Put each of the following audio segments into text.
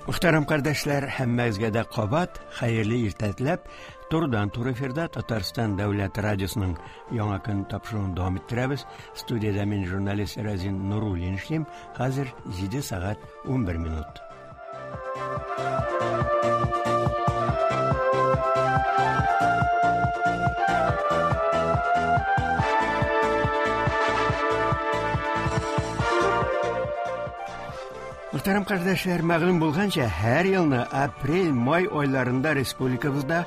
Мөхтәрәм кардәшләр, һәммәгезгә дә кабат хәерле иртә теләп, турыдан-туры эфирда Татарстан дәүләт радиосының Яңа көн тапшыруын дәвам иттерәбез. Студиядә мин журналист Разин Нуруллин эшлим. Хәзер 7 сәгать 11 минут. Мөхтәрәм кардәшләр, мәгълүм булганча, һәр елны апрель-май айларында республикабызда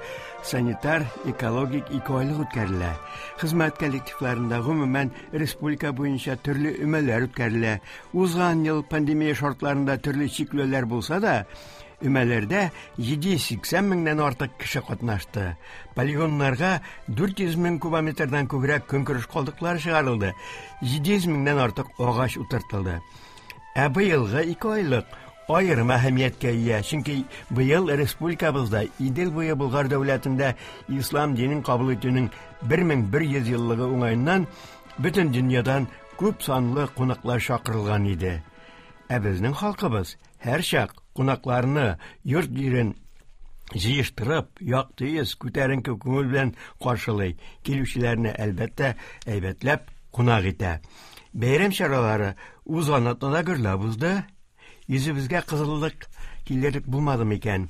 санитар экологик икеайлык үткәрелә. Хезмәт коллективларында, гомумән, республика буенча төрле өмәләр үткәрелә. Узган ел пандемия шартларында төрле чикләүләр булса да, өмәләрдә 780 меңнән артык кеше катнашты. Полигоннарга 400 мең кубометрдан күбрәк көнкүреш калдыклары чыгарылды, 700 меңнән артык агач утыртылды. Ә быелгы икеайлык аерым әһәмияткә ия, чөнки быел республикабызда Идел буе Болгар дәүләтендә ислам динен кабул итүнең 1100 еллыгы уңаеннан бөтен дөньядан күп санлы кунаклар чакырылган иде. Ә безнең халкыбыз һәрчак кунакларны йорт-җирен җыештырып, якты йөз, күтәренке күңел белән каршылый, килүчеләрне, әлбәттә, әйбәтләп кунак итә. Бәйрәм чаралары узган атнада гөрләп узды. Йөзебезгә кызыллык килерлек булмады микән?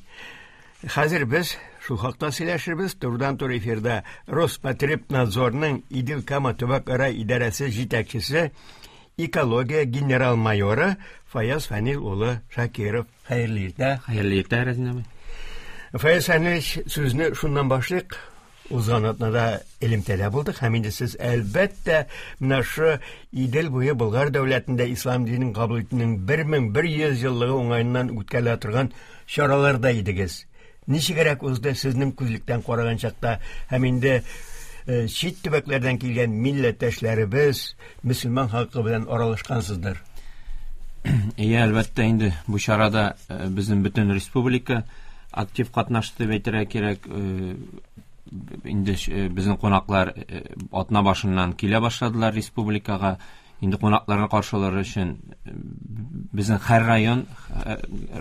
Хәзер без шул хакта сөйләшербез. Турыдан-туры эфирда Роспотребнадзорның Идел-Кама төбәкара идарәсе җитәкчесе, экология генерал-майоры Фаяз Фәнил улы Шакиров. Хәерле иртә. Хәерле иртә, Рәзин абый. Фаяз Фәнилович, сүзне шуннан башлыйк. Узган атнада элемтәдә булдык һәм инде сез әлбәттә менә шу Идел буе Болгар дәүләтендә ислам динен кабул итүнең 1100 еллыгы уңаеннан үткәрелә торган чараларда идегез. Ничегрәк узды сезнең күзлектән караган чакта һәм инде э, чит төбәкләрдән килгән милләттәшләребез, мөселман халкы белән аралашкансыздыр? Иә, әлбәттә инде бу чарада э, безнең бөтен республика актив катнашты дип әйтергә кирәк. Э, инде э, безнең кунаклар э, атна башыннан килә башладылар республикага. Инде кунакларны каршылар өчен безнең һәр район,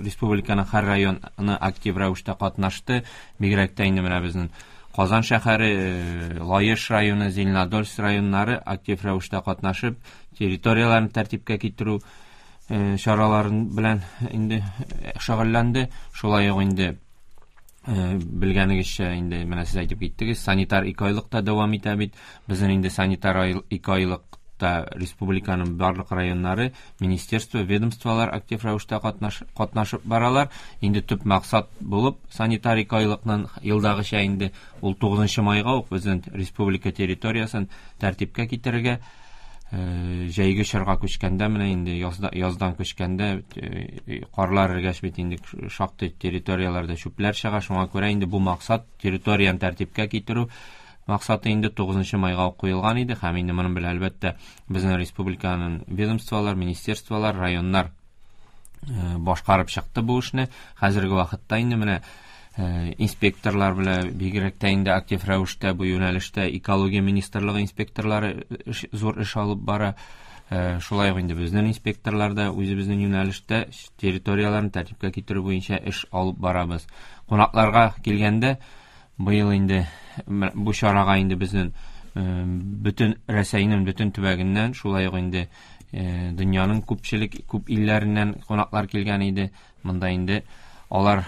республиканың һәр районы актив рәвештә катнашты. Бигрәк тә инде менә безнең Казан шәһәре, Лаеш районы, Зеленодольск районнары актив рәвештә катнашып, территорияләрен тәртипкә китерү чараларын белән инде шөгыльләнде. Шулай ук инде белгәнегезчә инде менә сез әйтеп киттегез, санитар икеайлык та дәвам итә бит. Безнең инде санитар икеайлыкта республиканың барлык районнары, министерство, ведомстволар актив рәвештә катнаш, катнашып баралар. Инде төп максат булып санитар икеайлыкның елдагыча инде ул 9 майга ук безнең республика территориясен тәртипкә китерергә җәйге чорга күчкәндә менә инде язда, яздан күчкәндә карлар эргәч бит инде шактый территорияләрдә чүпләр чыга. Шуңа күрә инде бу максат территорияне тәртипкә китерү максаты инде 9 майга ук куелган иде һәм инде моның белән әлбәттә безнең республиканың ведомстволар, министерстволар, районнар башкарып чыкты бу эшне. Хәзерге вакытта инде менә инспекторлар белән бигрәк тә инде актив рәвештә бу юнәлештә экология министрлыгы инспекторлары эш, зур эш алып бара. Шулай ук инде безнең инспекторлар да үзебезнең юнәлештә территорияләрне тәртипкә китерү буенча эш алып барабыз. Кунакларга килгәндә, быел инде бу чарага инде безнең бөтен Рәсәйнең бөтен төбәгеннән, шулай ук инде дөньяның күпчелек күп илләреннән кунаклар килгән иде. Монда инде алар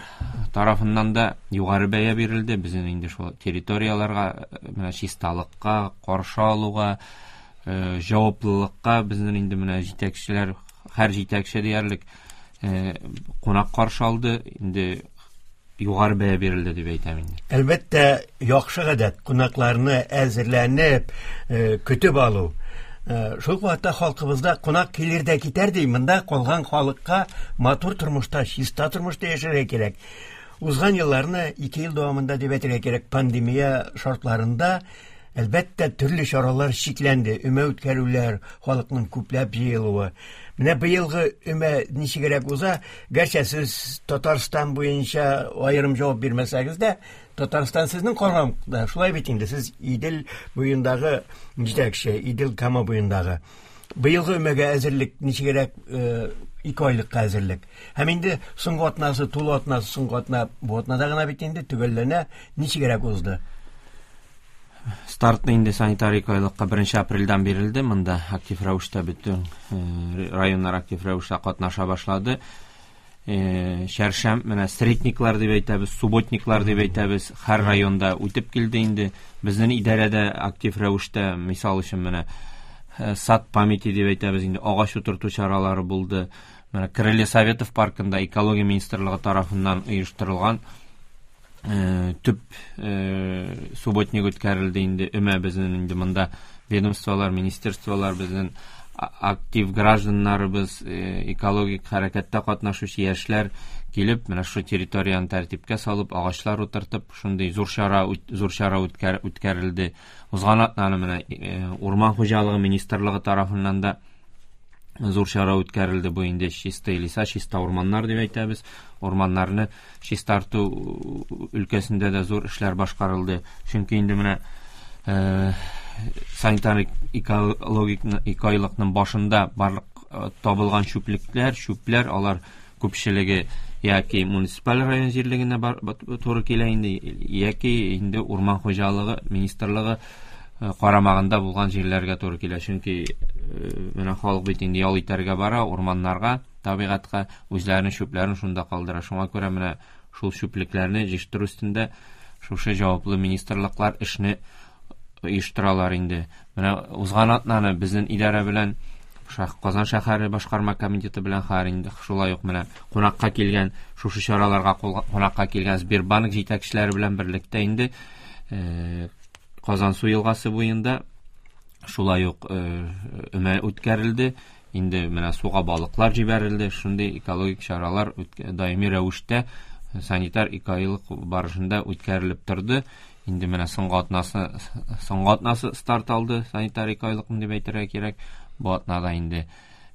тарафыннан да югары бәя бирелде. Безнең инде шул территорияләргә, менә чисталыкка, каршы алуга, җаваплылыкка безнең инде менә җитәкчеләр, һәр җитәкче диярлек кунак каршы алды. Инде югары бәя бирелде дип әйтәм инде. Әлбәттә, яхшы гадәт, кунакларны әзерләнеп, көтеп алу. Шул ук вакытта халкыбызда кунак килер дә китәр ди, монда калган халыкка матур тормышта, чиста тормышта яшәргә кирәк. Узган елларны, 2 ел дәвамында дип әйтергә кирәк, пандемия шартларында, әлбәттә, төрле чаралар чикләнде, өмә үткәрүләр, халыкның күпләп җыелуы. Менә быелгы өмә ничегрәк уза? Гәрчә сез Татарстан буенча аерым җавап бирмәсәгез дә, Татарстан сезнең карамакта, шулай бит инде, сез Идел буендагы җитәкче, Идел Кама буендагы. Быелгы өмәгә әзерлек ничегрәк, 2 айлыкка әзерлек? Һәм инде соңгы атнасы, тулы атнасы, соңгы атна бу атнада гына бит инде төгәлләнә. Ничегрәк узды? Стартны инде санитар 2 айлыкка 1 апрельдән бирелде. Монда актив рәвештә бөтен районнар актив рәвештә катнаша башлады. Чәршәм, менә средниклар дип әйтәбез, субботниклар дип әйтәбез, һәр районда үтеп килде инде. Безнең идарәдә актив рәвештә, мисал өчен, менә сад памяти дип әйтәбез инде, агач утырту чаралары булды. Менә Крылья Советов паркында экология министрлыгы тарафыннан оештырылган төп субботник үткәрелде инде. Өмә безнең инде монда ведомстволар, министерстволар, безнең актив гражданнарыбыз, экологик хәрәкәттә катнашучы яшьләр килеп, менә шушы территорияне тәртипкә салып, агачлар утыртып, шундый зур чара үткәрелде. Узган атнаны менә урман хуҗалыгы министрлыгы тарафыннан да зур чара үткәрелде. Бу инде чистые леса, чиста урманнар дип әйтәбез. Урманнарны чистарту өлкәсендә дә зур эшләр башкарылды. Чөнки инде менә санитар экологик 2 айлыкның башында барлык табылган чүплекләр, чүпләр, алар күпчелеге яки муниципаль район җирлегенә туры килә инде, яки инде урман хуҗалыгы министрлыгы карамагында булган җирләргә туры килә. Чөнки менә халык бит инде ял итәргә бара урманнарга, табигатькә, үзләренең чүпләрен шунда калдыра. Шуңа күрә менә шул чүплекләрне җыештыру өстендә шушы җаваплы министрлыклар эшне оештыралар инде. Менә узган атнаны безнең идарә белән, Казан шәһәре башкарма комитеты белән хәзер инде шулай ук менә кунакка килгән, шушы чараларга кунакка килгән Сбербанк җитәкчеләре белән берлектә инде Казансу елгасы буенда шулай ук өмә үткәрелде. Инде менә суга балыклар җибәрелде. Шундый экологик чаралар даими рәвештә санитар 2 айлык барышында үткәрелеп торды. Инде менә соңгы атнасы старт алды санитар 2 айлыкны дип әйтергә кирәк. Бу атнада инде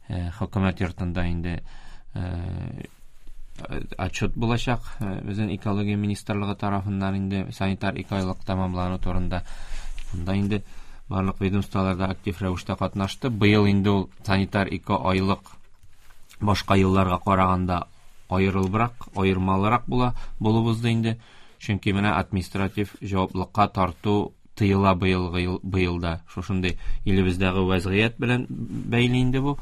хөкүмәт йортында инде отчет булачак безнең экология министрлыгы тарафыннан инде санитар 2 айлык тәмамлану турында. Монда инде барлык ведомстволар да актив рәвештә катнашты. Быел инде ул санитар 2 айлык башка елларга караганда аерылыбрак, аермалырак була булып узды инде. Чөнки менә административ җаваплыкка тарту тыела быелгы ел, быелда. Шушындый илебездәге вәзгыять белән бәйле инде бу.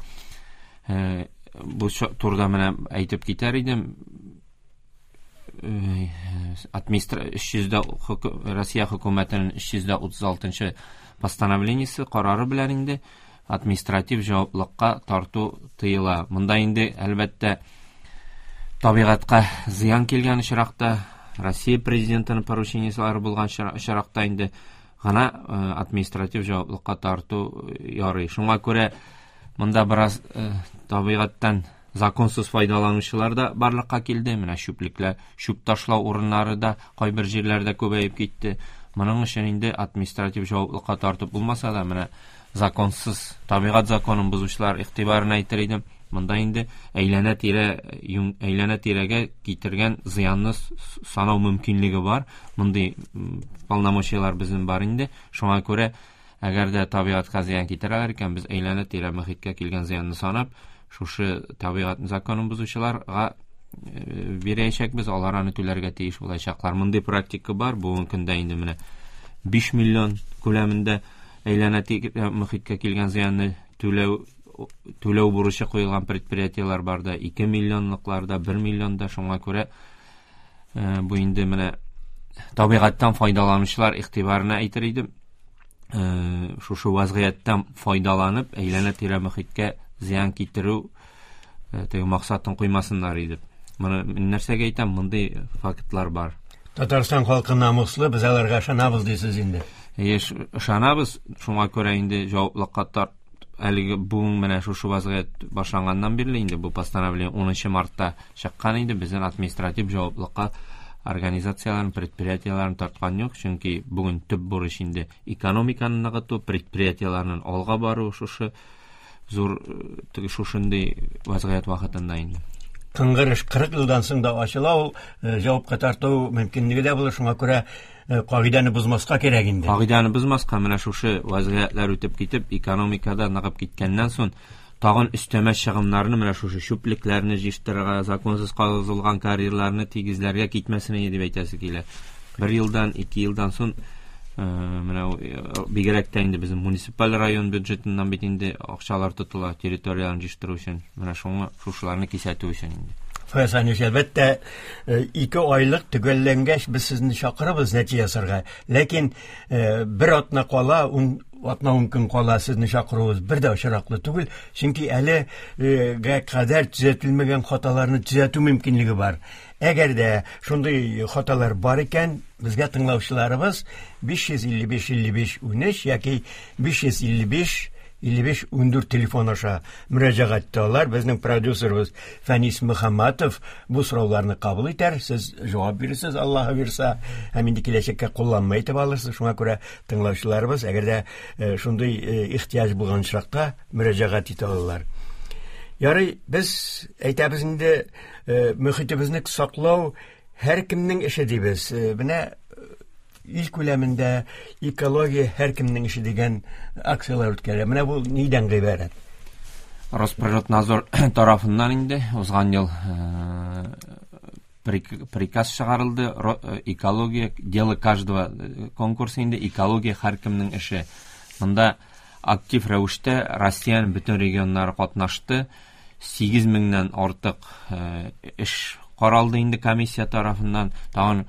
Бу турыда менә әйтеп китәр идем. Россия хөкүмәтенең 336 постановлениесе карары белән инде административ җаваплыкка тарту тыела. Монда инде, әлбәттә, табигатькә зыян килгән очракта, Россия президентының поручениеләре булган очракта инде гына административ җаваплыкка тарту ярый. Шуңа күрә монда бераз табигатьтән законсыз файдаланучылар да барлыкка килде. Менә чүплекләр, чүп ташлау урыннары да кайбер җирләрдә күбәеп китте. Моның өчен инде административ җаваплыкка тартып булмаса да, менә законсыз табигать законын бозучылар игътибарына әйтер идем. Монда инде әйләнә тирәгә китергән зыянны санау мөмкинлеге бар. Мондый полномочияләр безнең бар инде. Шуңа күрә, әгәр дә табигатькә зыян китерәләр икән, без әйләнә тирә мөхиткә килгән зыянны санап, шушы табигать законын бозучыларга бирәчәкбез, алар аны түләргә тиеш булачаклар. Мондый практика бар. Бүгенге көндә инде менә 5 миллион күләмендә әйләнә тирә мөхиткә килгән зыянны түләү бурычы куелган предприятиеләр бар да, 2 миллионлыклар да, 1 миллион да. Шуңа күрә бу инде менә табигатьтән файдаланучылар игътибарына әйтер идем. Шушы вазгыятьтән файдаланып, әйләнә-тирә мөхиткә зыян китерү теге максатын куймасыннар иде. Моны мин нәрсәгә әйтәм, мондый фактлар бар. Татарстан халкы намуслы, без аларга ышанабыз дисез инде. Еш ышанабыз, шуңа күрә инде җаваплыкка тарт әлеге бүген менә шушы вазгыять башланганнан бирле инде бу постановление 10 мартта чыккан инде, безнең административ җаваплыкка организацияләрен, предприятиеләрен тарткан юк, чөнки бүген төп бурыч инде экономиканы ныгыту, предприятиеләрнең алга бару шушы зур теге шушындый вазгыять вакытында инде. Кыңгыр эш 40 елдан соң да ачыла, ул җавапка тарту мөмкинлеге дә булыр. Шуңа күрә кагыйдәне бозмаска кирәк инде. Кагыйдәне бозмаска, менә шушы вазгыятьләр үтеп китеп, экономикада ныгып киткәннән соң тагын өстәмә чыгымнарны менә шушы чүплекләрне җыештырырга, законсыз казылган карьерларны тигезләргә китмәсен иде дип әйтәсе килә. Бер елдан, ике елдан соң менә бигрәк тә инде безнең муниципаль район бюджетыннан бит инде акчалар тотыла территорияләрне җыештыру өчен. Менә шуңа шушыларны кисәтү өчен инде. Фаяз Ханич, әлбәттә, 2 айлык төгәлләнгәч без сезне чакырабыз нәтиҗә ясарга. Ләкин бер атна кала, ун атна ун көн кала сезне чакыруыбыз бер дә очраклы түгел, чөнки әлегә кадәр төзәтелмәгән хаталарны төзәтү мөмкинлеге бар. Әгәр дә шундый хаталар бар икән, безгә тыңлаучыларыбыз 555 55 13 яки 555 55 14 телефон аша мөрәҗәгать итә алар. Безнең продюсерыбыз Фәнис Мөхәммәтов бу сорауларны кабул итәр, сез җавап бирерсез, Аллаһы бирса, һәм инде киләчәккә кулланма итеп алырсыз. Шуңа күрә тыңлаучыларыбыз, әгәр дә шундый ихтыяҗ булган очракта мөрәҗәгать итә алалар. Ярый, без әйтәбез инде, мөхитебезне саклау һәркемнең эше дибез. Менә ил күләмендә экология һәркемнең эше дигән акцияләр үткәрә. Менә бу нидән гыйбарәт? Росприроднадзор тарафыннан инде узган ел приказ чыгарылды. Экология дело каждого конкурсы инде экология һәркемнең эше. Монда актив рәвештә Россиянең бөтен регионнары катнашты. 8 меңнән артык эш каралды инде комиссия тарафыннан. Тагын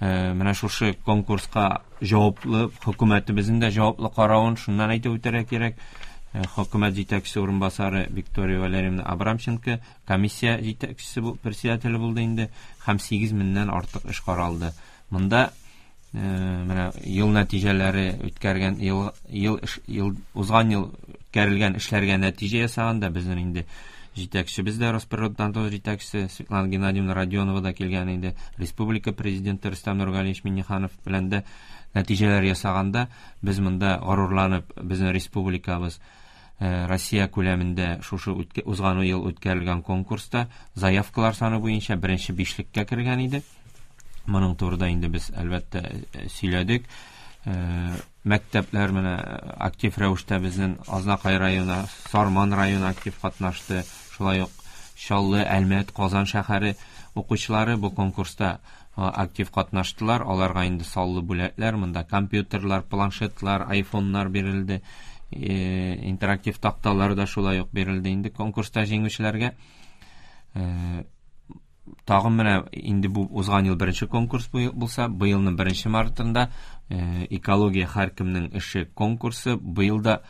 менә шушы конкурска җаваплы хөкүмәтебезнең дә җаваплы каравын шуннан әйтеп үтәргә кирәк. Хөкүмәт җитәкчесе урынбасары Виктория Валерьевна Абрамченко комиссия җитәкчесе председателе булды инде һәм 8 меңнән артык эш каралды. Монда менә ел нәтиҗәләре үткәргән ел, ел, ел узган ел үткәрелгән эшләргә нәтиҗә ясаганда безнең инде җитәкчебез дә Росприроднадзор җитәкчесе Светлана Геннадьевна Родионова да килгән иде. Республика президенты Рөстәм Нургалиевич Минниханов белән дә нәтиҗәләр ясаганда без монда горурланып безнең республикабыз Россия күләмендә шушы узган ел үткәрелгән конкурста заявкалар саны буенча беренче бишлеккә кергән иде. Моның турында инде без әлбәттә сөйләдек. Мәктәпләр менә актив рәвештә безнең Азнакай районы, Сарман районы актив катнашты. Шулай ук Чаллы, Әлмәт, Казан шәһәре укучылары бу конкурста актив катнаштылар. Аларга инде саллы бүләкләр, монда компьютерлар, планшетлар, айфоннар бирелде. Интерактив такталар да шулай ук бирелде инде конкурста җиңүчеләргә. Тагын менә инде бу узган ел беренче конкурс булса, быелның 1 мартында экология һәркемнең эше конкурсы быел да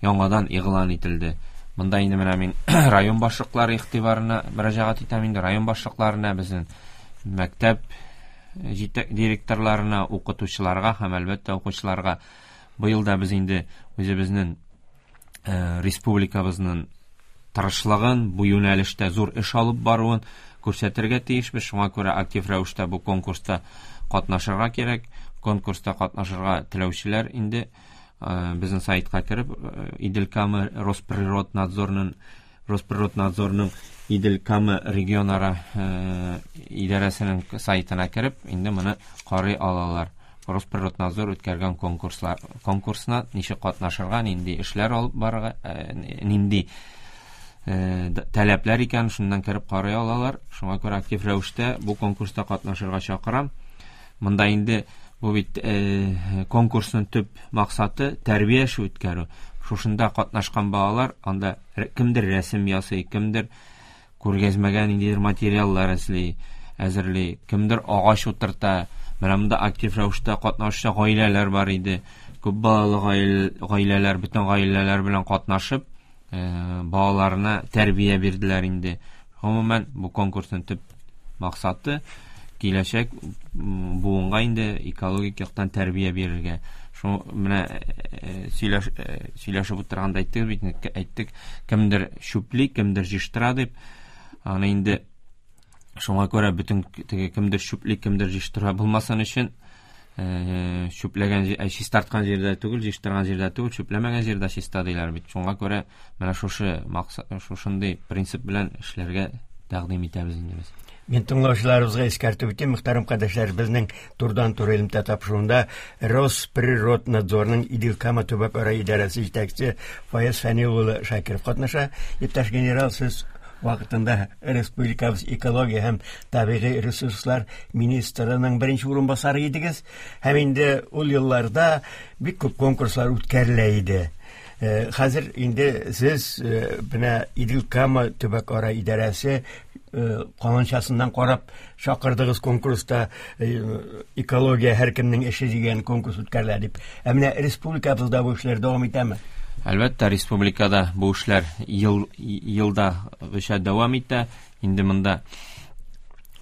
яңадан игълан ителде. Монда инде менә мин район башлыклары игътибарына мөрәҗәгать итәм инде, район башлыкларына, безнең мәктәп директорларына, укытучыларга һәм әлбәттә укучыларга. Быел да без инде үзебезнең республикабызның тырышлыгын, бу юнәлештә зур эш алып баруын күрсәтергә тиешбез. Шуңа күрә актив рәвештә бу конкурста катнашырга кирәк. Конкурста катнашырга теләүчеләр инде безнең сайтка кереп, Идел Кама Росприроднадзорның Идел Кама регионара идарәсенең сайтына кереп, инде моны карый алалар. Росприроднадзор үткәргән конкурсына ничек катнашырга, нинди эшләр алып барырга, нинди таләпләр икән, шуннан кереп карый алалар. Шуңа күрә актив рәвештә бу конкурста катнашырга чакырам. Монда инде бу бит конкурсның төп максаты тәрбия эше үткәрү. Шушында катнашкан балалар анда кемдер рәсем ясый, кемдер күргәзмәгә ниндидер материаллар әзерли, кемдер агач утырта. Менә монда актив рәвештә катнашучы гаиләләр бар иде. Күп балалы гаиләләр, бөтен гаиләләр белән катнашып, балаларына тәрбия бирделәр инде. Гомумән, бу конкурсның төп максаты киләчәк буынга инде экологик яктан тәрбия бирергә. Шул менә сөйләшеп утырганда әйттек бит, әйттек, кемдер чүпли, кемдер җыештыра дип. Аны инде шуңа күрә бөтен теге кемдер чүпли, кемдер җыештыра булмасын өчен, чүпләгән чистарткан җирдә түгел, җыештырган җирдә түгел, чүпләмәгән җирдә чиста диләр бит. Шуңа күрә менә шушы максат, шушындый принцип белән эшләргә тәкъдим итәбез инде без. Мин тыңлаучыларыбызга искәртеп үтим, мөхтәрәм кардәшләр, безнең турыдан-туры элемтә тапшыруында Росприроднадзорның Идел-Кама төбәкара идарәсе җитәкчесе Фаяз Фәнил улы Шакиров катнаша. Иптәш генерал, сез вакытында республикабыз экология һәм табигый ресурслар министрының беренче урынбасары идегез. Һәм инде ул елларда бик күп конкурслар үткәрелә иде. Хәзер инде сез менә Идел-Кама төбәкара идарәсе каланчасыннан карап чакырдыгыз конкурста экология һәркемнең эше дигән конкурс үткәрелә дип. Ә менә республикабызда бу эшләр дәвам итәме? Әлбәттә, республикада бу эшләр елдагыча дәвам итә. Инде монда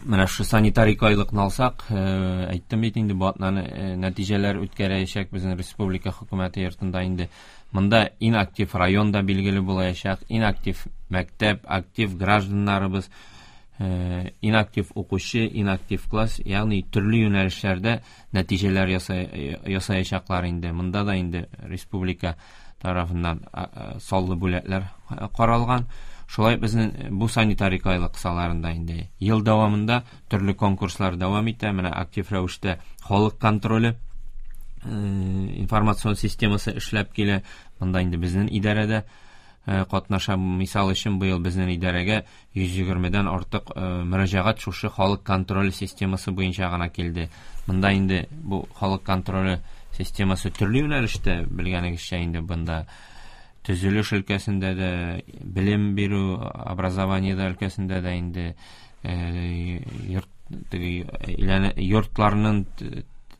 менә шушы санитар икеайлыкны алсак, әйттем бит инде, бу атнаны нәтиҗәләр үткәрәчәк безнең республика хөкүмәте йортында инде. Монда иң актив район да билгеле булачак, иң актив мәктәп, актив гражданнарыбыз, иң актив укучы, иң актив класс, ягъни төрле юнәлешләрдә нәтиҗәләр ясаячаклар инде. Монда да инде республика тарафыннан саллы бүләкләр каралган. Шулай безнең бу санитар икеайлык кысаларында инде ел дәвамында төрле конкурслар дәвам итә. Менә актив рәвештә халык контроле информацион системасы эшләп килә. Монда инде безнең идарәдә катнаша. Мисал өчен, быел безнең идарәгә 120-дән артык мөрәҗәгать шушы халык контроле системасы буенча гына килде. Монда инде бу халык контроле системасы төрле юнәлештә, белгәнегезчә инде, бында төзелеш өлкәсендә дә, белем бирү, образование өлкәсендә дә инде, йорт теге йортларның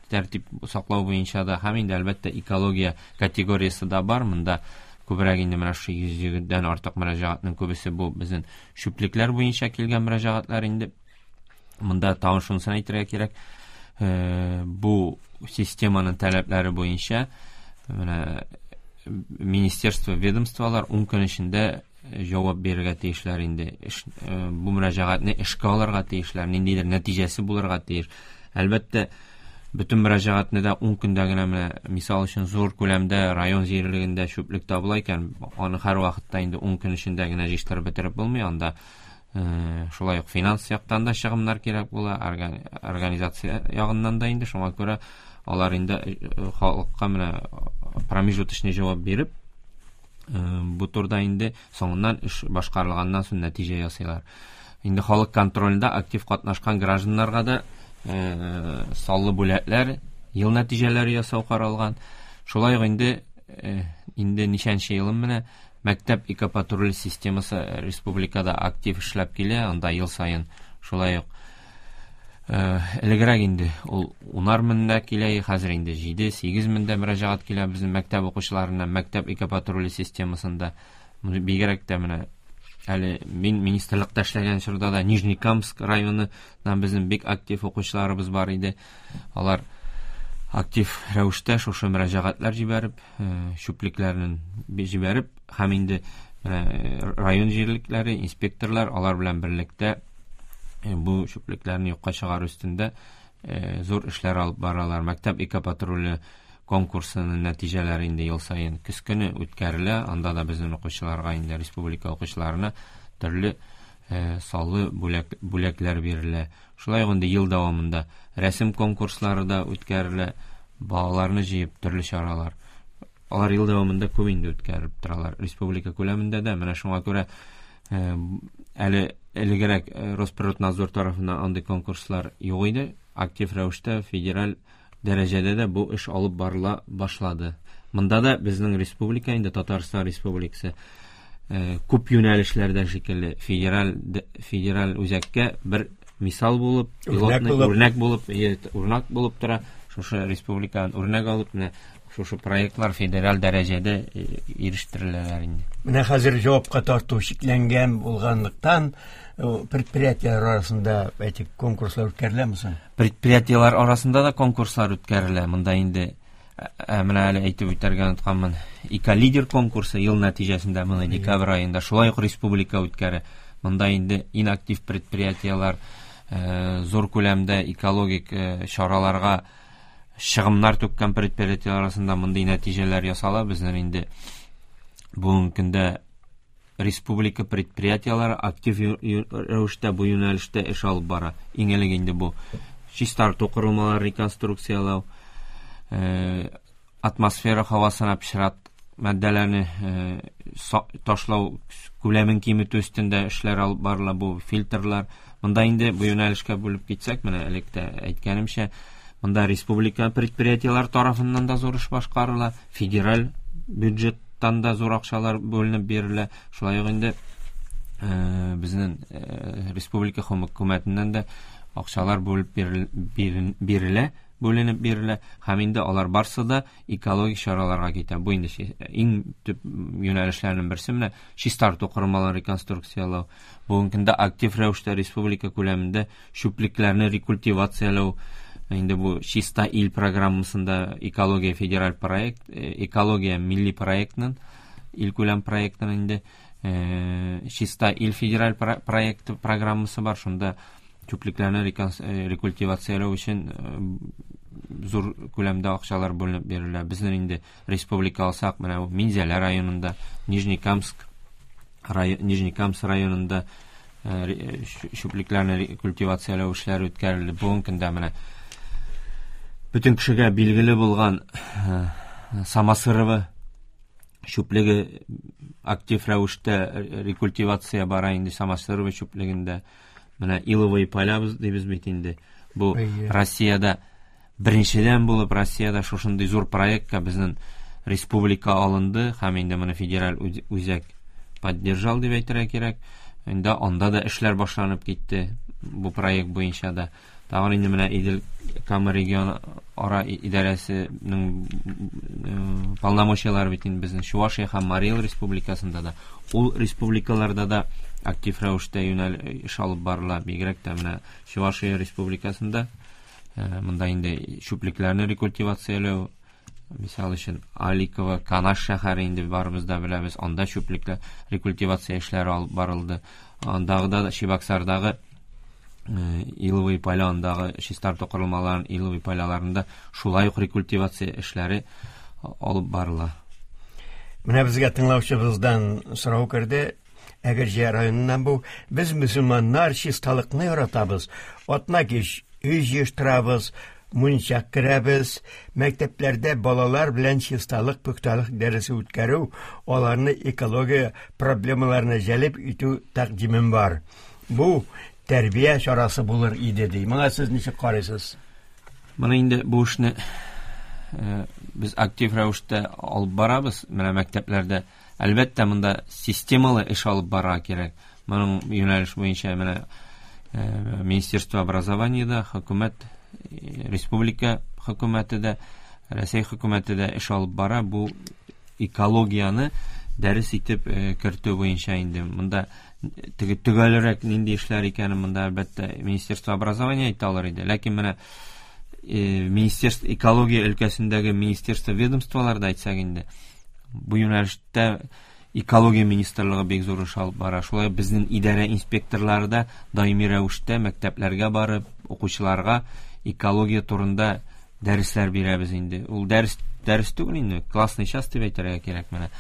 тәртип саклау буенча да һәм инде әлбәттә экология категориясе дә бар. Монда күбрәк инде менә шушы 120-дән артык мөрәҗәгатьнең күбесе бу безнең чүплекләр буенча килгән мөрәҗәгатьләр инде. Монда тагын шунысын әйтергә кирәк, бу системаның таләпләре буенча менә министерство, ведомстволар 10 көн эчендә җавап бирергә тиешләр инде. Бу мөрәҗәгатьне эшкә алырга тиешләр, ниндидер нәтиҗәсе булырга тиеш. Әлбәттә, бөтен мөрәҗәгатьне дә 10 көндә генә, менә мисал өчен, зур күләмдә район җирлегендә чүплек табыла икән, аны һәр вакытта инде 10 көн эчендә генә җыештырып бетереп булмый. Анда шулай ук финанс яктан да чыгымнар кирәк була, организация ягыннан да инде. Шуңа күрә алар инде халыкка менә промежуточный җавап биреп, бу турда инде соңыннан эш башкарылганнан соң нәтиҗә ясыйлар. Инде халык контролендә актив катнашкан гражданнарга да саллы бүләкләр, ел нәтиҗәләре ясау каралган. Шулай ук инде ничәнче елым менә мәктәп экопатруль системасы республикада актив эшләп килә. Анда ел саен шулай ук элегрәк инде ул унар меңдә килә, хәзер инде 7-8 меңдә мөрәҗәгать килә безнең мәктәп укучыларына мәктәп экопатруле системасында. Бигрәк тә менә әле мин министрлыкта эшләгән чорда да Нижнекамск районыннан безнең бик актив укучыларыбыз бар иде. Алар актив рәвештә шушы мөрәҗәгатьләр җибәреп, чүплекләрен җибәреп, һәм инде район җирлекләре, инспекторлар алар белән берлектә бу чүплекләрне юкка чыгару өстендә зур эшләр алып баралар. Мәктәп экопатруле конкурсының нәтиҗәләре инде ел саен көз көне үткәрелә. Анда да безнең укучыларга инде, республика укучыларына төрле саллы бүләкләр бирелә. Шулай ук инде ел дәвамында рәсем конкурслары да үткәрелә, балаларны җыеп төрле чаралар. Алар ел дәвамында күп инде үткәреп торалар республика күләмендә дә. Менә шуңа күрә әле элегрәк Росприроднадзор тарафыннан андый конкурслар юк иде. Актив рәвештә федераль дәрәҗәдә дә бу эш алып барыла башлады. Монда да безнең республика инде, Татарстан Республикасы, күп юнәлешләрдә шикелле федераль үзәккә бер мисал булып, үрнәк булып тора. Шушы республикадан үрнәк алып, менә шушы проектлар федераль дәрәҗәдә ирештереләләр инде. Менә хәзер җавапка тарту чикләнгән булганлыктан, предприятиеләр арасында, әйтик, конкурслар үткәреләме соң? Предприятиеләр арасында да конкурслар үткәрелә. Монда инде менә әле әйтеп үтәргә онытканмын. Эколидер конкурсы ел нәтиҗәсендә моны декабрь аенда шулай ук республика үткәрә. Монда инде иң актив предприятиеләр, зур күләмдә экологик чараларга чыгымнар түккән предприятиеләр арасында мондый нәтиҗәләр ясала. Безнең инде бүгенге көндә республика предприятиеләре актив рәвештә бу юнәлештә эш алып бара. Иң элек инде бу чистарту корылмалары реконструкцияләү, атмосфера һавасына пычрак матдәләрне ташлау күләмен киметү өстендә эшләр алып барыла, бу фильтрлар. Монда инде бу юнәлешкә бүлеп китсәк, менә элек тә әйткәнемчә, монда республика предприятиеләр тарафыннан да зур эш башкарыла, федераль бюджеттан да зур акчалар бүленеп бирелә. Шулай ук инде безнең республика хөкүмәтеннән дә акчалар бүлеп бирелә, бүленеп бирелә һәм инде алар барсы да экологик чараларга китә. Бу инде иң төп юнәлешләрнең берсе менә чистарту корылмаларын реконструкцияләү. Бүгенге көндә актив рәвештә республика күләмендә чүплекләрне рекультивацияләү, инде бу Чиста ил программасында экология федераль проект, экология милли проектының, илкүләм проектының инде Чиста ил федераль проекты программасы бар. Шунда чүплекләрне рекультивацияләү өчен зур күләмдә акчалар бүленеп бирелә. Безнең инде республика алсак, менә бу Минзәлә районында, Нижнекамск районында чүплекләрне рекультивацияләү эшләре үткәрелде. Бүгенге көндә менә бөтен кешегә билгеле булган Самосырово чүплеге актив рәвештә рекультивация бара инде Самосырово чүплегендә. Менә Иловые поля дибез бит инде. Бу Россиядә беренчедән булып Россиядә шушындый зур проектка безнең республика алынды һәм инде моны федераль үзәк поддержал дип әйтергә кирәк. Инде анда да эшләр башланып китте бу проект буенча да. Тагын инде менә Идел Кама регион ара идарәсенең полномочияләре бит инде безнең Чувашия һәм Марий Эл республикасында да. Ул республикаларда да актив рәвештә юнәл эш алып барыла. Бигрәк тә менә Чувашия республикасында монда инде чүплекләрне рекультивацияләү, мисал өчен Аликово, Канаш шәһәре инде барыбыз да беләбез, анда чүплекләр рекультивация эшләре алып барылды. Андагы да Чебоксардагы Иловые поля, андагы чистарту корылмаларын Иловые поляларында шулай ук рекультивация эшләре алып барыла. Менә безгә тыңлаучыбыздан сорау керде. Әгерҗе районыннан бу. Без мөселманнар чисталыкны яратабыз. Атна кич өй җыештырабыз, мунча керәбез. Мәктәпләрдә балалар белән чисталык, пөхтәлек дәресе үткәрү, аларны экология проблемаларына җәлеп итү тәкъдимем бар. Бу тәрбия чарасы булыр иде ди. Моңа сез ничек карыйсыз? Моны инде бу эшне без актив рәвештә алып барабыз. Менә мәктәпләрдә әлбәттә монда системалы эш алып барырга кирәк. Моның юнәлеш буенча менә Министерство образования да, хөкүмәт, республика хөкүмәте дә, Рәсәй хөкүмәте дә эш алып бара. Бу экологияне дәрес итеп кертү буенча инде монда теге төгәлрәк нинди эшләр икәнен монда әлбәттә Министерство образования әйтә алыр иде. Ләкин менә министерство экология өлкәсендәге министерство ведомстволарда әйтсәк инде бу юнәлештә экология министрлыгы бик зур эш алып бара. Шулай безнең идарә инспекторлары да даими рәвештә мәктәпләргә барып укучыларга экология турында дәресләр бирәбез инде. Ул дәрес дәрес түгел инде, классный час дип әйтергә кирәк менә.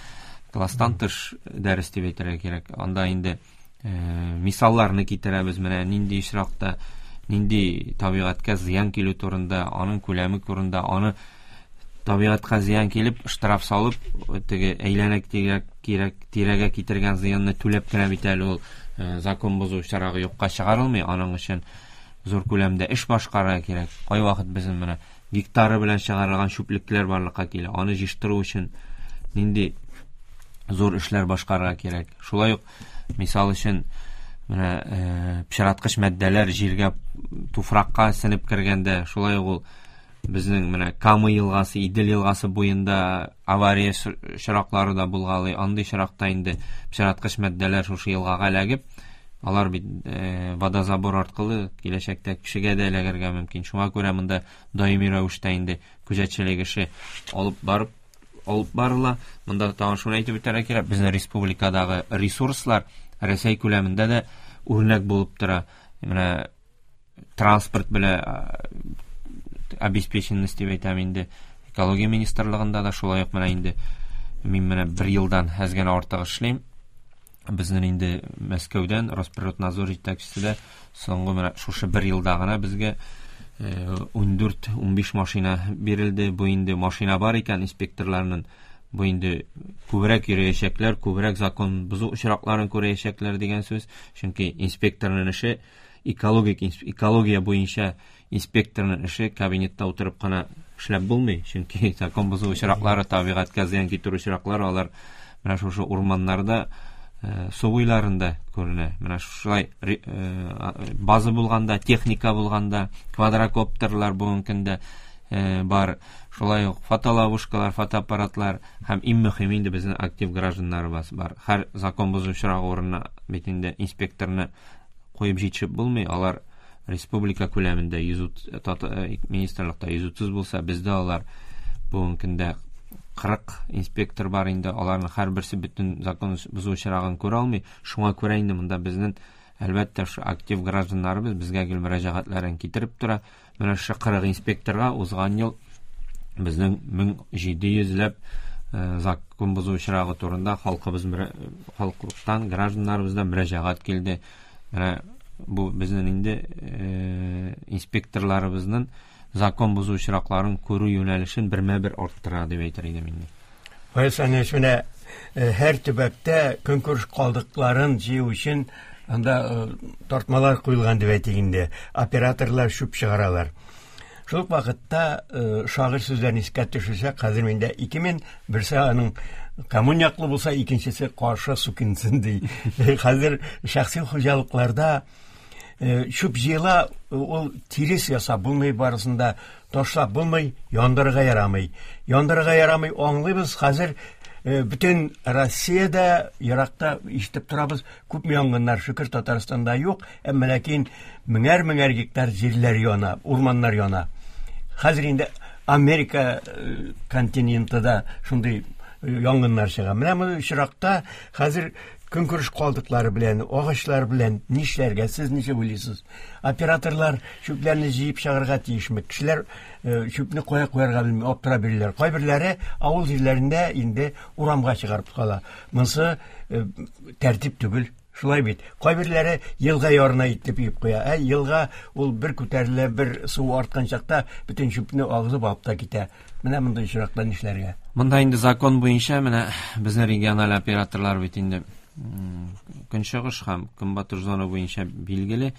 Класстан тыш дәрес дип әйтергә кирәк. Анда инде мисалларны китерәбез менә нинди очракта нинди табигатькә зыян килү турында, аның күләме турында, аны табигатькә зыян килеп, штраф салып, теге әйләнә кирәк тирәгә китергән зыянны түләп кенә бит әле ул закон бозу чарагы юкка чыгарылмый, аның өчен зур күләмдә эш башкарырга кирәк. Кайвакыт безнең менә гектары белән чыгарылган чүплекләр барлыкка килә. Аны җыештыру өчен нинди зур эшләр башкарырга кирәк. Шулай ук, мисал өчен, менә пычраткыч матдәләр җиргә, туфракка сеңеп кергәндә, шулай ук ул безнең менә Кама елгасы, Идел елгасы буенда авария очраклары да булгалый. Андый очракта инде пычраткыч матдәләр шушы елгага эләгеп, алар бит водозабор аркылы киләчәктә кешегә дә эләгергә мөмкин. Шуңа күрә монда даими рәвештә инде күзәтчелек эше алып барыла. Монда тагын шуны әйтеп үтәргә кирәк, безнең республикадагы ресурслар Рәсәй күләмендә дә үрнәк булып тора. Менә транспорт белән обеспеченность дип әйтәм инде. Экология министрлыгында да шулай ук менә инде мин менә бер елдан әз генә артык эшлим. Безнең инде Мәскәүдән Росприроднадзор җитәкчесе дә соңгы менә шушы бер елда гына безгә 14-15 машина бирелде. Бу инде машина бар икән инспекторларның, бу инде күбрәк йөрәчәкләр, күбрәк закон бозу очракларын күрәчәкләр дигән сүз. Чөнки инспекторның эше экологик экология буенча инспекторның эше кабинетта утырып кына эшләп булмый. Чөнки закон бозу очраклары, табигатькә зыян китерү очраклары алар менә шушы урманнарда, су буйларында күренә. Менә шулай база булганда, техника булганда, квадрокоптерлар бүгенге көндә бар. Шулай ук фотоловушкалар, фотоаппаратлар һәм иң мөһиме инде безнең актив гражданнарыбыз бар. Һәр закон бозу очрагы урынына бит инде инспекторны куеп җитешеп булмый. Алар республика күләмендә 130, министрлыкта 130 булса, бездә алар бүгенге көндә 40 инспектор бар инде. Аларның һәрберсе бөтен закон бозу очрагын күрә алмый. Шуңа күрә инде монда безнең әлбәттә шу актив гражданнарыбыз безгә гел мөрәҗәгатьләрен китереп тора. Менә шушы 40 инспекторга узган ел безнең 1700 ләп закон бозу очрагы турында халкыбыз, халыктан, гражданнарыбыздан мөрәҗәгать килде. Менә бу безнең инде инспекторларыбызның закон бозу очракларын күрү юнәлешен бермә-бер арттыра дип әйтер идем инде. Фаяз Фәнилович, менә һәр төбәктә көнкүреш калдыкларын җыю өчен анда тартмалар куелган дип әйтик инде. Операторлар чүп чыгаралар. Шул ук вакытта шагыйрь сүзләрен искә төшерсәк, хәзер миндә 2000, берсе аның коммун яклы булса, икенчесе каршы сукинсын ди. Хәзер шәхси хуҗалыкларда чүп җыела, ул тирес ясап булмый, барысын да ташлап булмый, яндырырга ярамый. Яндырырга ярамый, аңлыйбыз, хәзер бөтен Россиядә, еракта ишетеп торабыз, күпме янгыннар, шөкер, Татарстанда юк, әмма ләкин меңәр-меңәр гектар җирләр яна, урманнар яна. Хәзер инде Америка континенты да шундый янгыннар чыга. Менә бу очракта хәзер көнкүреш калдыклары белән, агачлар белән нишләргә, сез ничек уйлыйсыз? Операторлар чүпләрне җыеп чыгарырга тиешме? Кешеләр чүпне кая куярга белми, аптырап йөриләр. Кайберләре авыл җирләрендә инде урамга чыгарып кала. Монысы тәртип түгел. Шулай бит. Кайберләре елга ярына итеп өеп куя. Ә елга ул бер күтәрелә, бер су арткан чакта бөтен чүпне агызып алып та китә. Менә мондай очракта нишләргә? Монда инде закон буенча менә безнең региональ операторлар бит инде көнчыгыш һәм көнбатыш зона буенча билгеле.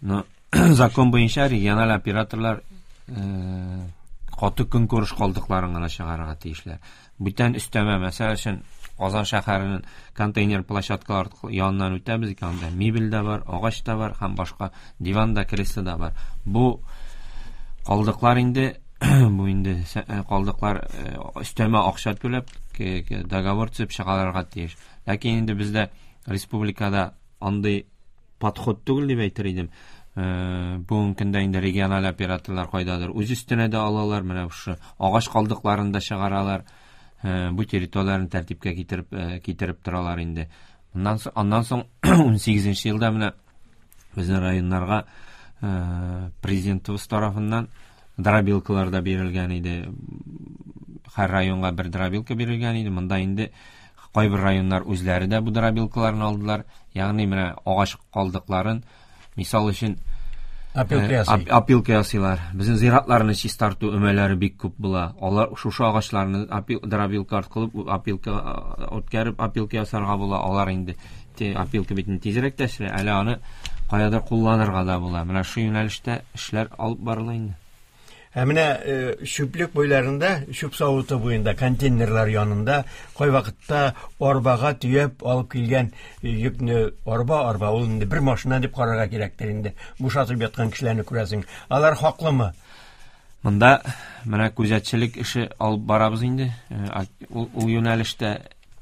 Но закон буенча региональ операторлар каты көнкүреш калдыкларын гына чыгарырга тиешләр. Бүтән өстәмә, мәсәл өчен, Казан шәһәренең контейнер площадкалары яныннан үтәбез икән, анда мебель дә бар, агач та бар һәм башка диван да, кресло да бар. Бу калдыклар инде, бу инде калдыклар өстәмә акча түләп, договор төзеп чыгарырга тиеш. Ләкин инде бездә республикада андый подход түгел дип әйтер идем. Бүгенге көндә инде региональ операторлар кайдадыр үз өстенә дә алалар, менә шушы агач калдыкларын да чыгаралар. Бу территорияләрне тәртипкә китереп торалар инде. Моннан соң, аннан соң 18 елда менә безнең районнарга президентыбыз тарафыннан дробилкалар да бирелгән иде. Һәр районга бер дробилка бирелгән иде. Монда инде кайбер районнар үзләре дә бу дробилкаларны алдылар. Ягъни менә агач калдыкларын, мисал өчен, Опилка ясый. Опилка ясыйлар. Безнең зиратларны чистарту өмәләре бик күп була. Алар шушы агачларны дробилка аркылы опилка үткәреп опилка ясарга була. Алар инде опилка бит инде тизрәк тә эшләй, әле аны каядыр кулланырга да була. Менә шу юнәлештә эшләр алып барыла инде. Ә менә чүплек буйларында, чүп савыты буенда, контейнерлар янында кайвакытта арбага төяп алып килгән йөкне арба-арба, ул инде бер машина дип карарга кирәктер инде. Бушатып яткан кешеләрне күрәсең. Алар хаклымы? Монда менә күзәтчелек эше алып барабыз инде. Ул юнәлештә,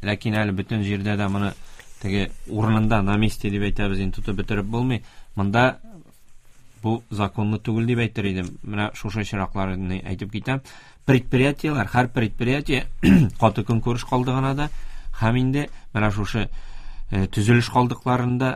ләкин әле бөтен җирдә дә моны теге урынында, на месте дип әйтәбез инде, тотып бетереп булмый. Монда бу законлы түгел дип әйтер идем. Менә шушы очракларны әйтеп китәм. Предприятиеләр, һәр предприятие каты көнкүреш калдыгына да һәм инде менә шушы төзелеш калдыкларын да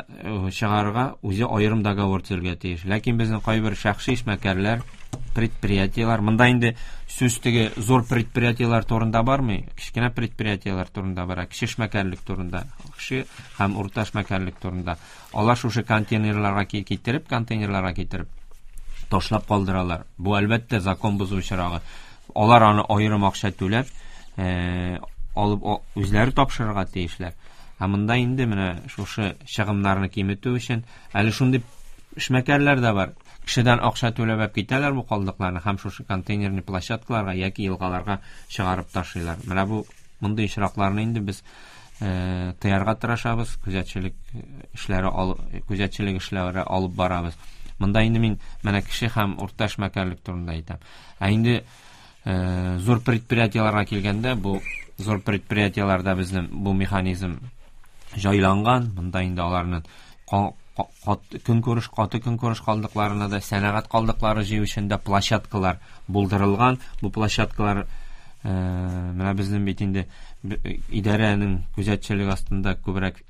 чыгарырга үзе аерым договор төзергә тиеш. Ләкин безнең кайбер шәхси эшмәкәрләр, Предприятиеләр, монда инде сүз теге зур предприятиеләр турында бармый, кечкенә предприятиеләр турында бара, кече эшмәкәрлек турында, кече һәм урта эшмәкәрлек турында. Алар шушы контейнерларга китереп, контейнерларга китереп ташлап калдыралар. Бу әлбәттә закон бозу очрагы. Алар аны аерым акча түләп, алып үзләре тапшырырга тиешләр. Ә монда инде менә шушы чыгымнарны киметү өчен әле шундый эшмәкәрләр дә бар. Кешедән акча түләп китәләр бу калдыкларны һәм шушы контейнерный площадкаларга яки елгаларга чыгарып ташлыйлар. Менә бу мондый очракларны инде без тыярга тырышабыз, күзәтчелек эшләре күзәтчелек эшләре алып барабыз. Монда инде мин менә кеше һәм урта эшмәкәрлек турында әйтәм. Ә инде зур предприятиеләргә килгәндә, бу зур предприятиеләрдә безнең бу механизм җайланган. Монда инде аларның көнкүреш, каты көнкүреш калдыкларына да, сәнәгать калдыклары җыю өчен дә площадкалар булдырылган. Бу площадкалар менә безнең бит инде идарәнең күзәтчелеге астында күбрәк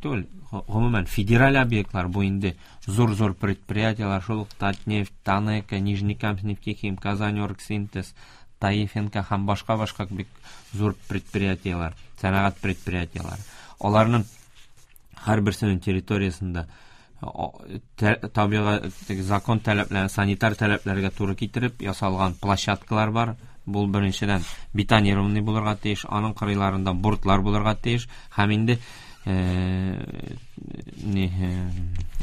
түгел, гомумән федераль объектлар, бу инде зур-зур предприятиеләр, шул ук Татнефть, Танека, Нижнекамск нефтехим, Казань-Оргсинтез, Таифенко һәм башка-башка бик зур предприятиеләр, сәнәгать предприятиеләре. Аларның һәрберсенең территориясендә табигать закон таләпләре, санитар таләпләргә туры китереп ясалган площадкалар бар. Бу беренчедән бетонированный булырга тиеш, аның кырыйларында бортлар булырга тиеш һәм инде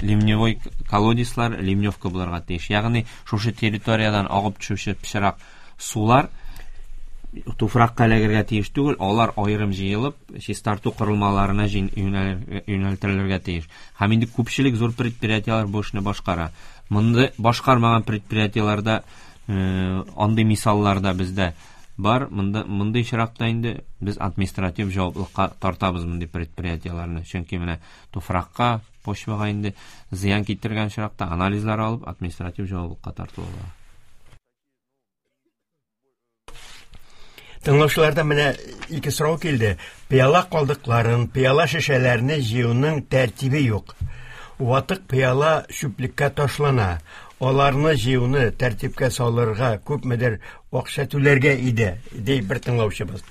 ливневой колодецлар, ливневка булырга тиеш. Ягъни шушы территориядән агып төшүче пычрак сулар туфракка эләгергә тиеш түгел, алар аерым җыелып, чистарту корылмаларына юнәлтелергә тиеш. Һәм инде күпчелек зур предприятиеләр бу эшне башкара. Монда башкармаган предприятиеләрдә андый мисаллар да бездә бар. Монда мондый очракта инде без административ җаваплылыкка тартабыз мондый предприятиеләрне. Чөнки менә туфракка, почвага инде зыян китергән очракта анализлар алып административ җаваплылыкка тартыла. Тыңлаучылардан менә ике сорау килде. Пыяла калдыкларын, пыяла шешәләрне җыюның тәртибе юк. Ватык пыяла чүплеккә ташлана. Аларны җыюны тәртипкә салырга күпмедер акча түләргә иде, ди бер тыңлаучыбыз.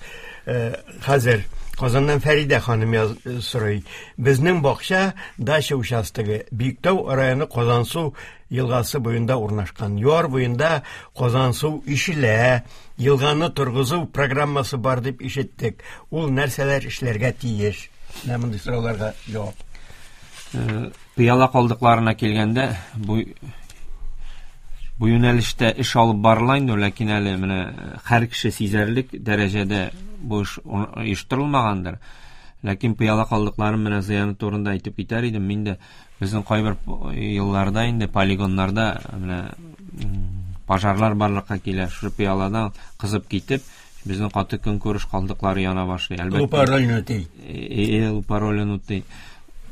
Хәзер Казаннан Фәридә ханым сорый. Безнең бакча дача участогы Биектау районы Казансу елгасы буенда урнашкан. Яр буенда Казансу ишелә. Елганы торгызу программасы бар дип ишеттек. Ул нәрсәләр эшләргә тиеш? Менә мондый сорауларга җавап. Пыяла калдыкларына килгәндә, бу юнәлештә эш алып барыла инде, ләкин әле менә һәр кеше сизәрлек дәрәҗәдә бу эш оештырылмагандыр. Ләкин пыяла калдыкларын менә зыяны турында әйтеп китәр идем. Мин дә безнең кайбер елларда инде полигоннарда менә пожарлар барлыкка килә. Шушы пыяладан кызып китеп, безнең каты көнкүреш калдыклары яна башлый. Әлбәттә. Лупа ролен үти. Лупа ролен үти.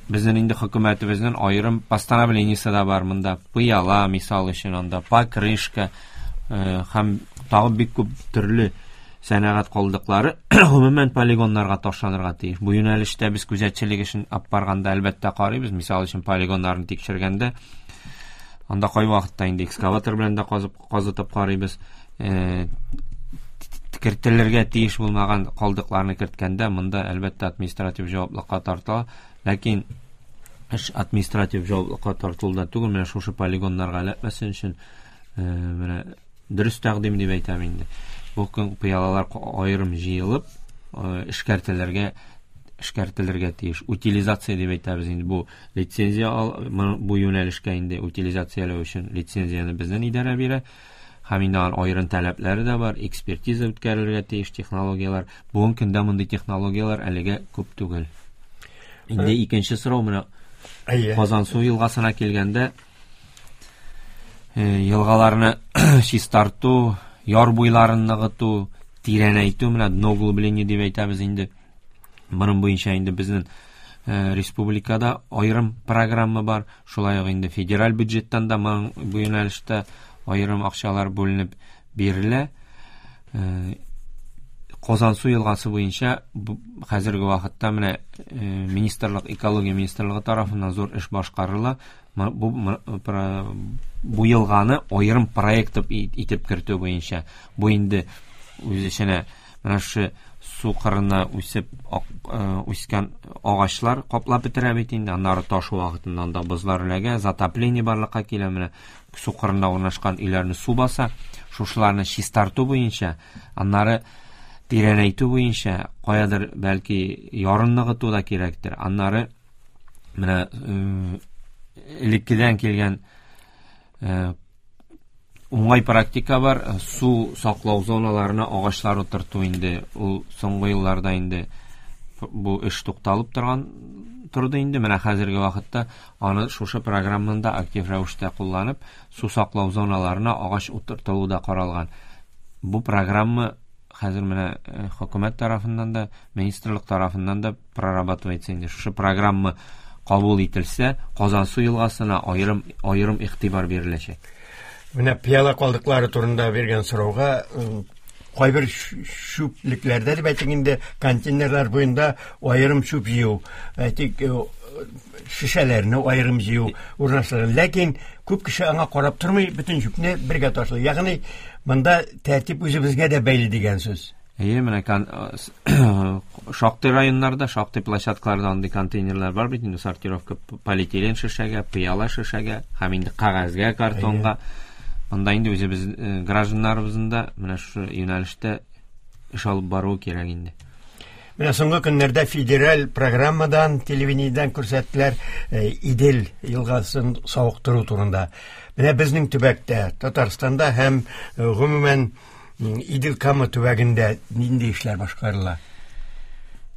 Безнең инде хөкүмәтебезнең аерым постановлениесе дә бар монда. Пыяла, мисал өчен, анда покрышка һәм тагы бик күп төрле сәнәгать калдыклары гомумән полигоннарга ташланырга тиеш. Бу юнәлештә без күзәтчелек эшен алып барганда әлбәттә карыйбыз. Мисал өчен, полигоннарны тикшергәндә анда кайвакытта инде экскаватор белән дә казытып карыйбыз. Кертелергә тиеш булмаган калдыкларны керткәндә монда әлбәттә административ җаваплылыкка тартыла. Ләкин эш административ җаваплылыкка тартылуда түгел, менә шушы полигоннарга эләкмәсен өчен менә дөрес тәкъдим дип әйтәм инде. Бу көн пыялалар аерым җыелып, эшкәртелергә тиеш. Утилизация дип әйтәбез инде. Бу лицензия бу юнәлешкә инде утилизацияләү өчен лицензияне безнең идарә бирә. Һәм инде аның аерым таләпләре дә бар, экспертиза үткәрелергә тиеш технологияләр. Бүгенге көндә мондый технологияләр әлегә күп түгел. Инде икенче сорау менә Казансу елгасына килгәндә, елгаларны чистарту, яр буйларын ныгыту, тирәнәйтү, менә дно углубление дип әйтәбез инде. Моның буенча инде безнең республикада аерым программа бар. Шулай ук инде федераль бюджеттан да моның бу юнәлештә аерым акчалар бүленеп бирелә. Казансу елгасы буенча хәзерге вакытта менә министрлык, экология министрлыгы тарафыннан зур эш башкарыла. Бу Бу елганы аерым проект итеп кертү буенча. Бу инде үз эченә менә шушы су кырына үсеп үскән агачлар каплап бетерә бит инде. Аннары ташу вакытында анда бозлар эләгә, затопление барлыкка килә. Менә су кырында урнашкан өйләрне су баса. Шушыларны чистарту буенча, аннары тирәнәйтү буенча каядыр бәлки ярын ныгыту да кирәктер. Аннары менә элеккедән килгән уңай практика бар, су саклау зоналарына агачлар утырту инде. Ул соңгы елларда инде бу эш тукталып торды инде. Менә хәзерге вакытта аны шушы программаны да актив рәвештә кулланып, су саклау зоналарына агач утыртылу да каралган. Бу программа хәзер менә хөкүмәт тарафыннан да, министрлык тарафыннан да прорабатывается инде. Шушы программа кабул ителсә, Казансу елгасына аерым игътибар биреләчәк. Менә пыяла калдыклары турында биргән сорауга кайбер чүплекләрдә дип әйтик инде, контейнерлар буенда аерым чүп җыю, әйтик, шешәләрне аерым җыю урнаштырылган. Ләкин күп кеше аңа карап тормый, бөтен чүпне бергә ташлый. Ягъни монда тәртип үзебезгә дә бәйле дигән сүз. Әйе, менә шактый районнарда, шактый площадкаларда андый контейнерлар бар бит инде, сортировка полиэтилен шешәгә, пыяла шешәгә һәм инде кәгазьгә, картонга. Монда инде үзебез гражданнарыбызның да менә шушы юнәлештә эш алып баруы кирәк инде. Менә соңгы көннәрдә федераль программадан, телевидениедән күрсәттеләр Идел елгасын савыктыру турында. Менә безнең төбәктә, Татарстанда һәм гомумән Идел Кама төбәгендә нинди эшләр башкарыла?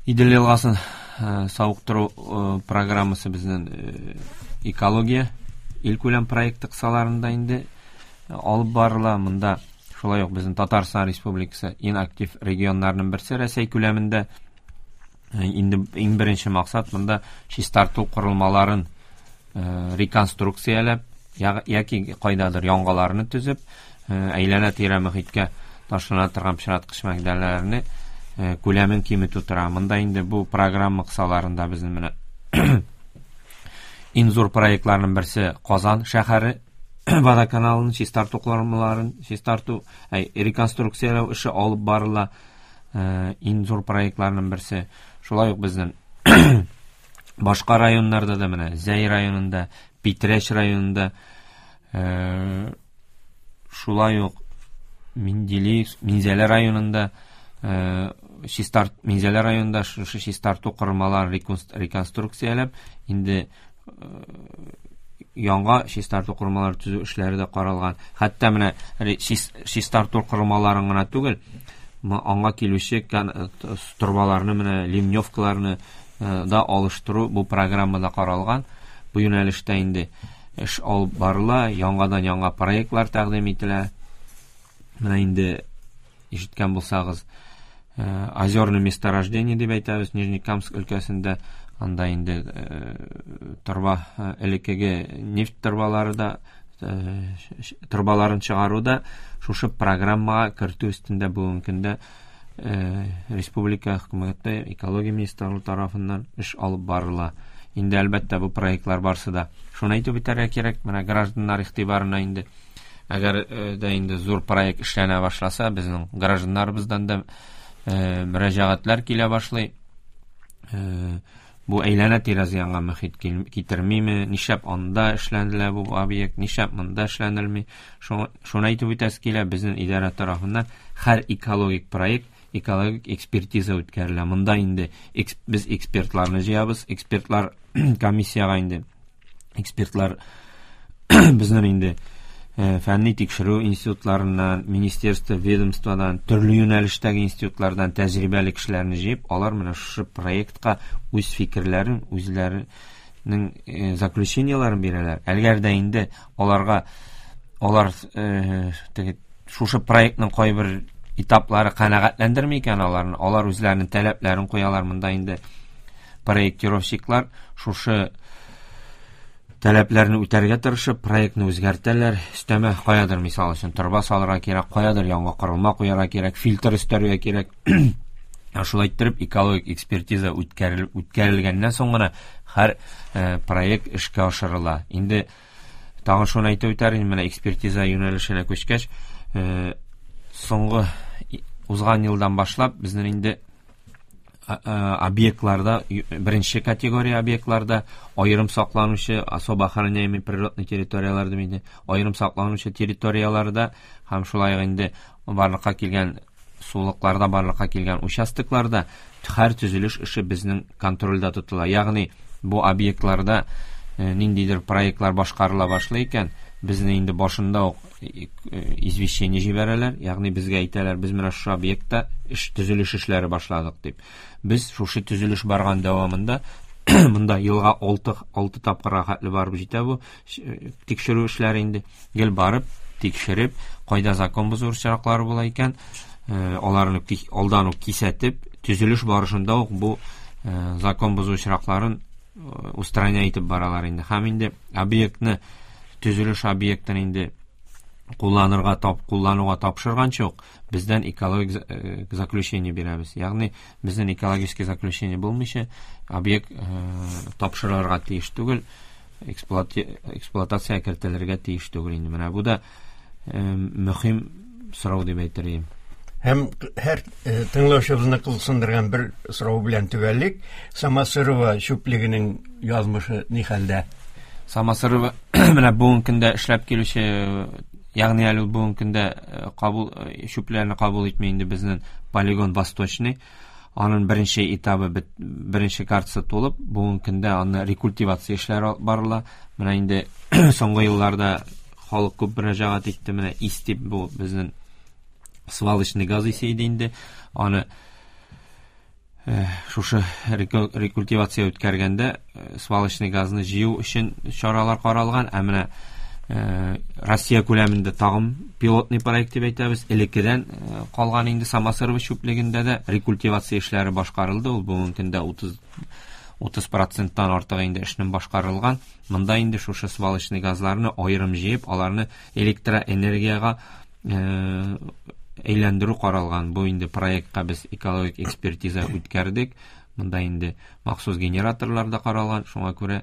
Идел елгасын савыктыру программасы безнең экология илкүләм проекты кысаларында инде алып барыла. Монда шулай ук безнең Татарстан Республикасы иң актив регионнарның берсе Рәсәй күләмендә. Инде иң беренче максат монда чистарту корылмаларын реконструкцияләп, яки кайдадыр яңаларны төзеп, әйләнә-тирә мөхиткә ташлана торган пычраткыч матдәләрне күләмен киметү тора. Монда инде бу программа кысаларында безнең менә иң зур проектларның берсе Казан шәһәре водоканалын чистарту корылмаларын чистарту, реконструкцияләү эше алып барыла. Иң зур проектларның берсе. Шулай ук безнең башка районнарда да, менә Зәй районында, Питрәч районында, шулай ук Менделеевск, Минзәлә районында, Минзәлә районында шушы чистарту корылмаларын реконструкцияләп, инде яңа чистарту корылмалары төзү эшләре дә каралган. Хәтта менә чистарту корылмаларын гына түгел, аңа килүче торбаларны, менә ливневкаларны да алыштыру бу программада каралган. Бу юнәлештә инде эш алып барыла, яңадан яңа проектлар тәкъдим ителә. Менә инде ишеткән булсагыз, озерное месторождение дип әйтәбез Нижнекамск өлкәсендә, анда инде торба, элеккеге нефть торбалары да, торбаларын чыгару да шушы программага кертү өстендә бүгенге көндә республика хөкүмәте, экология министрлыгы тарафыннан эш алып барыла. Инде әлбәттә бу проектлар барсы да. Шуны әйтеп үтәргә кирәк, менә гражданнар игътибарына инде, әгәр дә инде зур проект эшләнә башласа, безнең гражданнарыбыздан да мөрәҗәгатьләр килә башлый. Бу әйләнә-тирә зыянга мөхит китермиме, нишләп анда эшләнелә бу объект, нишләп монда эшләнелми. Шуны әйтеп үтәсе килә, безнең идарә тарафыннан һәр экологик проект, экологик экспертиза үткәрелә. Монда инде без экспертларны җыябыз, экспертлар комиссиягә инде экспертлар безнең инде фәнни тикшерү институтларыннан, министерство, ведомстводан, төрле юнәлештәге институтлардан тәҗрибәле кешеләрне җыеп, алар менә шушы проектка үз фикерләрен, үзләренең заключениеләрен бирәләр. Әгәр дә инде аларга алар теге шушы проектның кайбер этаплары канәгатьләндерми икән аларны, алар үзләренең таләпләрен куялар. Монда инде проектировщиклар шушы таләпләрне үтәргә тырышып, проектны үзгәртәләр. Өстәмә каядыр, мисал өчен, торба салырга кирәк, каядыр яңа корылма куярга кирәк, фильтр өстәргә кирәк. Шулай иттереп, экологик экспертиза үткәрелгәннән соң гына һәр проект эшкә ашырыла. Инде Тагын шуны әйтеп үтәр идем, менә экспертиза юнәлешенә күчкәч, соңгы узган елдан башлап безнең инде объектларда, беренче категория объектларда аерым сакланучы, особо охраняемый природный территорияләр дип инде, аерым сакланучы территорияләрдә һәм шулай ук инде барлыкка килгән сулыкларда барлыкка килгән участокларда һәр төзелеш эше безнең контрольдә тотыла. Ягъни бу объектларда ниндидер проектлар башкарыла башлый икән, безне инде башында ук извещение җибәрәләр, ягъни безгә әйтәләр, без менә шушы объектта эш төзелеш эшләре башладык дип. Без шушы төзелеш барган дәвамында монда елга 6 6 тапкырга хәтле барып җитә бу тикшерү эшләре инде. Гел барып, тикшереп, кайда закон бозу очраклары була икән, аларны алдан ук кисәтеп, төзелеш барышында ук бу закон бозу очракларын устранять итеп баралар инде. Һәм инде объектны, төзелеш объектын инде кулланырга тап куллануга тапшырганчы ук бездән экологик заключение бирәбез. Ягъни безнең экологический заключение булмыйча объект тапшырылырга тиеш түгел, эксплуатация кертелергә тиеш түгел инде. Менә бу да мөһим сорау дип әйтер идем. Һәм һәр тыңлаучыбызны кызыксындырган бер сорау белән төгәллик. Самосырова чүплегенең язмышы ни хәлдә? Самосырова менә бүгенге көндә эшләп килүче, ягъни әле бүгенге көндә кабул чүпләрне кабул итми инде безнең полигон Восточный. Аның беренче этабы беренче картасы тулып, бүгенге көндә аны рекультивация эшләре барыла. Менә инде соңгы елларда халык күп мөрәҗәгать итте, менә ис дип, бу безнең свалочный газ исе иде инде. Аны шушы рекультивация үткәргәндә свалочный газны җыю өчен чаралар каралган. Ә менә Россия күләмендә тагын пилотный проект дип әйтәбез. Элеккедән калган инде Самосырова чүплегендә дә рекультивация эшләре башкарылды. Ул бүгенге көндә 30 30 проценттан артык инде эшнең башкарылган. Монда инде шушы свалочный газларны аерым җыеп, аларны электроэнергиягә әйләндерү каралган. Бу инде проектка без экологик экспертиза үткәрдек. Монда инде махсус генераторлар да каралган. Шуңа күрә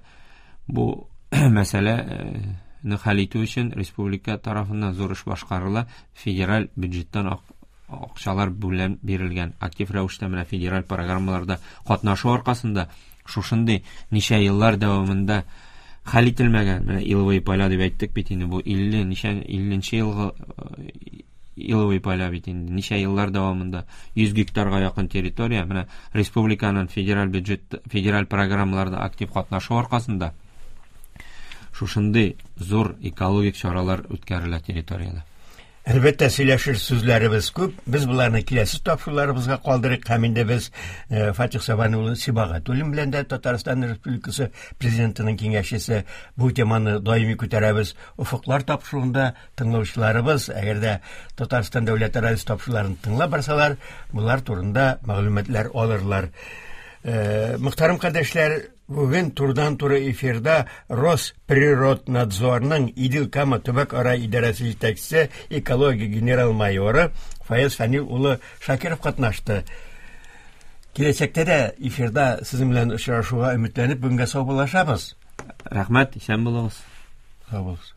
бу мәсьәләне хәл итү өчен республика тарафыннан зур эш башкарыла. Федераль бюджеттан акчалар бүлән бирелгән. Актив рәвештә менә федераль программаларда катнашу аркасында шушындый ничә еллар дәвамында хәл ителмәгән, менә иловые поля дип әйттек бит инде, бу 50 ничә 50 елгы иловый поля бит инде, ничә еллар дәвамында 100 гектарга якын территория, менә республиканың федераль бюджет, федераль программаларда актив катнашу аркасында шушындый зур экологик чаралар үткәрелә территориядә. Әлбәттә, сөйләшер сүзләребез күп. Без боларны киләсе тапшыруларыбызга калдырыйк. Һәм инде без Фатих Сабан улы Сибагатуллин белән дә, Татарстан Республикасы Президентының киңәшчесе, бу теманы даими күтәрәбез. Офыклар тапшыруында тыңлаучыларыбыз, әгәр дә Татарстан дәүләт радиосы тапшыруларын тыңлап барсалар, болар турында мәгълүматлар алырлар. Мөхтәрәм кардәшләр, бүген турыдан-туры эфирда Росприроднадзорның Идел-Кама төбәк-ара идарәсе җитәкчесе, экология генерал-майоры Фаяз Фәнил улы Шакиров катнашты. Киләчәктә дә эфирда сезнең белән очрашуга өметләнеп, бүгенгә саубуллашабыз. Рәхмәт, исән булыгыз. Сау булыгыз.